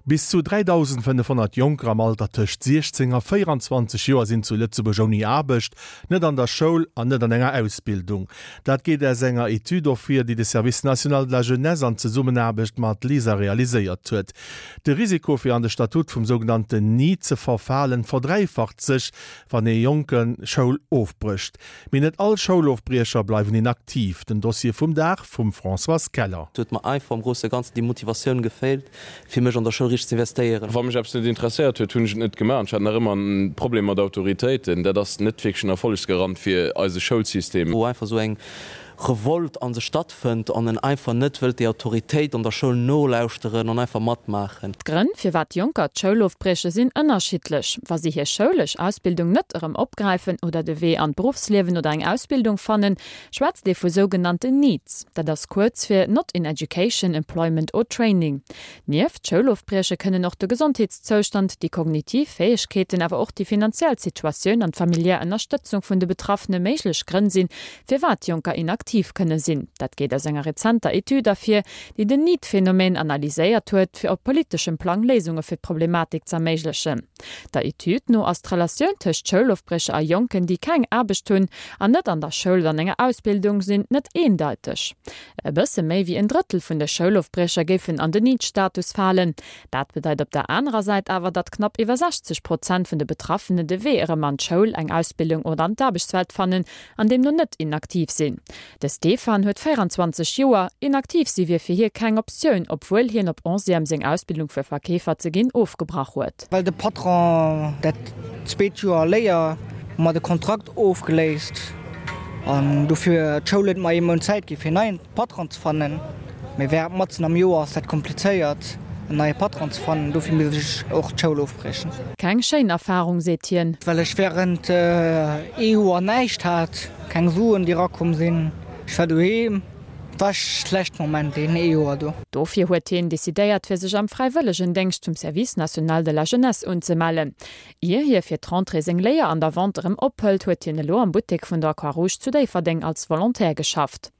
Bis zu 3.500 Jonker am Alter tëscht 16 a 24 Joer sinn zu Lëtzebuerg ouni Aarbecht, net an der Schoul an net an enger Ausbildung. Dat geet aus enger Etüd ervir, déi de Service national de la jeunesse an Zesummenaarbecht mat LISER realiséiert huet. De Risiko fir an de Statut vum sougenannten NEET ze verfalen, verdräifacht sech, wann ee Jonke Schoul ofbrécht. Mee net all Schoulofbriecher bleiwen inaktiv. Den Dossier vum Dag vum Françoise Keller. Et huet mer einfach am grousse Ganzen déi Motivatioun geféilt, fir mech an der Schoul richteg ze investéieren. Wa mech eppes net interesséiert huet, hunn ech et net gemaach. An ech hat nach ëmmer en Problem mat Autoritéiten. Dat ass net wierklech en Erfollegsgarant fir eise Schoulsystem. Wou einfach esou eng Revolt a sech stattfënnt an en einfach net wëllt déi Autoritéit an der Schoul nolauschteren an einfach matmaachen. D'Grënn, firwat Jonker d'Schoul ofbrieche sinn ënnerschiddlech. Wa si hir schoulesch Ausbildung net erëm opgräifen oder de Wee an d'Beruffsliewen oder eng Ausbildung fannen, schwätzt ee vu sougenannten NEETs. Dat ass kuerz fir Not in Education, Employment or Training. Nieft Schoulofbrieche kënnen och de Gesondheetszoustand, déi kognitiv Fäegkeeten, awer och déi finanziell Situatioun an d'familiär Ënnerstëtzung vun de Betraffene méiglech Grënn sinn, firwat Jonker inaktiv kënne sinn. Dat geet aus enger rezenter Etüd ervir, déi den NEET-Phänomen analyséiert huet, fir op politeschem Plang Léisunge fir d'Problematik z'erméiglechen. Der Etüd no ass d'Relatioun tëscht Schoulofbrécher a Jonken, déi keng Aarbecht hunn an net an der Schoul oder an enger Ausbildung sinn, net eendeiteg. E bësse méi wéi en Drëttel vun de Schoulofbriecher géifen an den NEET-Status falen. Dat bedeit op der anerer Säit awer, datt knapp iwwer 60 Prozent vun de Betraffene de Wee erëm an d'Schoul, eng Ausbildung oder an d'Aarbechtswelt fannen an deemno net inaktiv sinn. De Stefan huet 24 Joer. Inaktiv si wier fir hie keng Optioun, obwuel hien op Onzième seng Ausbildung fir Verkeefer ze ginn ofgebrach huet. Well de Patron dat zweet Joer Léier mer de Kontrakt ofgeléist an dofir d'Schoul huet mer ee Mount Zäit gi fir en neien Patron ze fannen. Mee während matzen am Joer ass dat komplizéiert en neie Patron ze fannen, dofir misst ech och d'Schoul ofbriechen. Keng schéin Erfarung, seet hien. Well ech während ee Joer näischt hat, keng Suen déi erakomm sinn, ech war doheem, war schlecht Moment deen ee Joer do. Dofir huet hien decidéiert fir sech am Fräiwëllegendéngscht vum Service national de la jeunesse unzemellen. Ier hie fir d'Rentrée seng Léier an der Vente erëm ophëlt, huet hien elo am Buttek vun der Croix-Rouge zu Déifferdeng als Volontaire geschafft.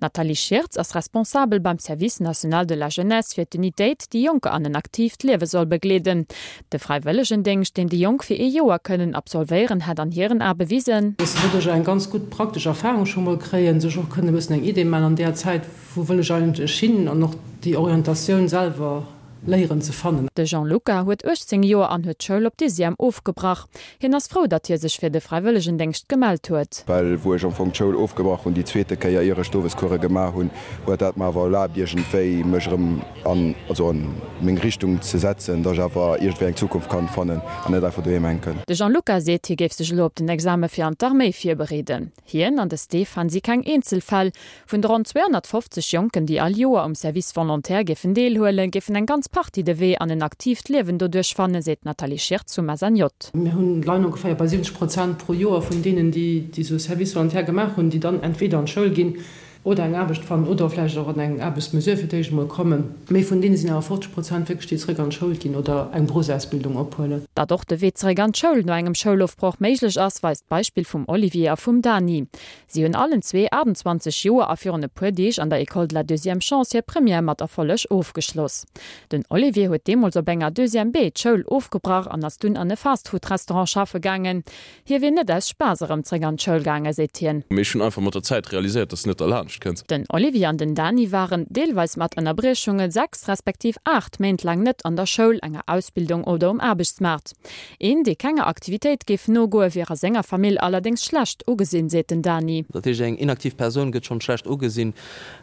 D'Nathalie Schirtz ass Responsabel beim Service national de la jeunesse fir d'Unitéit, déi Jonker an en aktiivt Liewe soll begleeden. De Fräiwëllegendéngscht, deen déi Jonk fir ee Joer kënnen absolvéieren, hätt an hiren Ae bewisen, Dass se doduerch eng ganz gutt praktesch Erfahrung scho mol kréien, sech och kënnen e bëssen eng Idee maachen an där Zäit, wou wëll ech eigentlech hin, an och déi Orientatioun selwer léieren ze fannen. De Jean-Luca huet 18 Joer an huet d'Schoul op Dixième ofgebrach. Hien ass frou, datt hie sech fir de Fräiwëllegendéngscht gemellt huet. Well wou ech am Fong d'Schoul ofgebrach hunn, déi zweete Kéier, ier ech d'Owescourse gemaach hunn, huet dat mer awer erlaabt iergendwéi mech erëm an, also an meng Richtung ze setzen, datt ech awer iergendwéi eng Zukunft kann fannen an net einfach doheem hänken. De Jean-Luca seet, hie géif sech elo op den Exame fir an d'Arméi virbereeden. Hien an de Stéphane si keng Eenzelfäll. Vun de ronn 250 Jonken, déi all Joer um Service volontaire géifen deelhuelen, géifen eng ganz Partie de Wee an en aktiivt Liewen doduerch fannen, seet d'Nathalie Schirtz vum SNJ. Mir hunn, leien ongeféier bei 70 Prozent pro Joer vun deenen, déi esou Service volontaire gemaach hunn, déi dann entweder an d'Schoul ginn oder eng Aarbecht fannen oder vläicht och an eng Aarbechtsmesure fir d'éischt emol kommen. Mee vun deene sinn awer 50 Prozent wierklech, déi zeréck an d'Schoul ginn oder eng Beruffsausbildung ophuelen. Datt och de Wee zeréck an d'Schoul no engem Schoulofbroch méiglech ass, weist d'Beispill vum Olivier a vum Dani. Si hunn allen zwee 28 Joer a virun e puer Deeg an der École de la deuxième chance hir Première mat Erfolleg ofgeschloss. Den Olivier huet deemools op enger Deuxième B d'Schoul ofgebrach an ass dunn an e Fastfood-Restaurant schaffe gaangen. Hie wier net aus Spaass erëm zréck an d'Schoul gaangen, seet hien. Mee ech hunn einfach mat der Zäit realiséiert, dass de net derlaanscht kënns. Den Olivier an den Dani waren, deelweis mat Ënnerbriechungen, 6 respektiv 8 Méint laang net an der Schoul, enger Ausbildung oder um Aarbechtsmaart. Een, dee kenger Aktivitéit géif nogoen, wier a senger Famill allerdéngs schlecht ugesinn, seet den Dani. Dat heescht, eng inaktiv Persoun gëtt schonn schlecht ugesinn,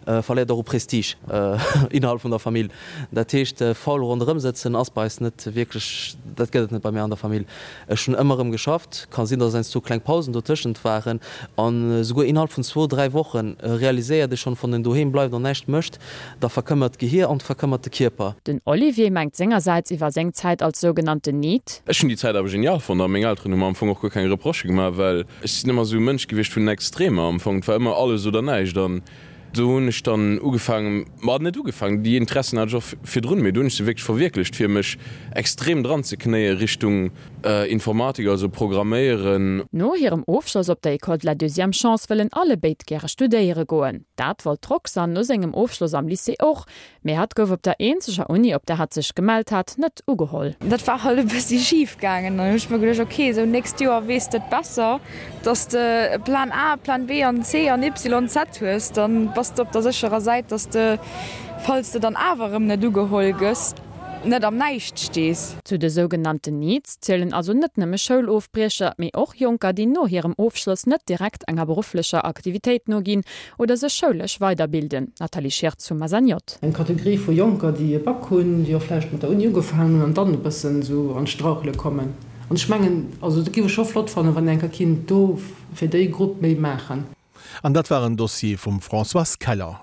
verléiert och u Prestige innerhalb vun der Famill. Dat heescht, faul ronderëm sëtzen ass bei eis net wierklech, dat gëtt et net bei mir an der Famill. Ech hunn ëmmer erëm geschafft. Ka sinn, dass heiansdo kleng Pausen dotëschent waren. An esouguer innerhalb vun zwou, dräi Woche realiséiert ee schonn, wann een doheem bleift an näischt mécht, da verkëmmert d'Gehier an verkëmmert de Kierper. Den Olivier mengt sengersäits iwwer seng Zäit als sougenannten NEET. Ech hunn déi Zäit awer genial fonnt a meng Elteren hu mer am Fong och guer keng Reprochë gemaach, well ech sinn ëmmer esou e Mënsch gewiescht vun den Extremer am Fong. Et war ëmmer alles oder näischt an do hunn ech dann ugefaangen, ma net ugefaangen, déi Interessen hat ech och virdrun, mee do hunn ech se wierklech verwierklecht, fir mech extrem dran ze knéie Richtung. Informatik, also Programméieren. No hirem Ofschloss op der École de la Deuxième Chance wëllen allebéid gäre studéiere goen. Dat wollt d'Roxanne no sengem Ofschloss am Lycée och, mee hatt gouf op der eenzeger Uni, op der hatt sech gemellt hat, net ugeholl. Dat war halt e bëssi schif gaangen. Dann hunn ech mer geduecht, ok, esou nächst Joer weess de et besser, dass de Plan A, Plan B an C an Y, Z hues. Dann bass de op der sécherer Säit, dass de, falls de dann awer erëm net ugeholl gëss, net am Näischt stees. Zu de sougenannten NEETs zielen also net nëmme Schoulofbriecher, mee och Jonker, déi no hirem Ofschloss net direkt enger berufflecher Aktivitéit noginn oder sech schoulesch weiderbilden. Nathalie Schirtz vum SNJ. Eng Kategorie vu Jonker, déi e Bac hunn, déi och vläicht mat der Uni ugefaangen hunn an dann e bëssen esou an d'Strauchele kommen. An ech mengen, also dat géif ech scho flott fannen, wann een eng Kéier kinnt do fir déi Grupp méi maachen. An dat war en Dossier vum Françoise Keller.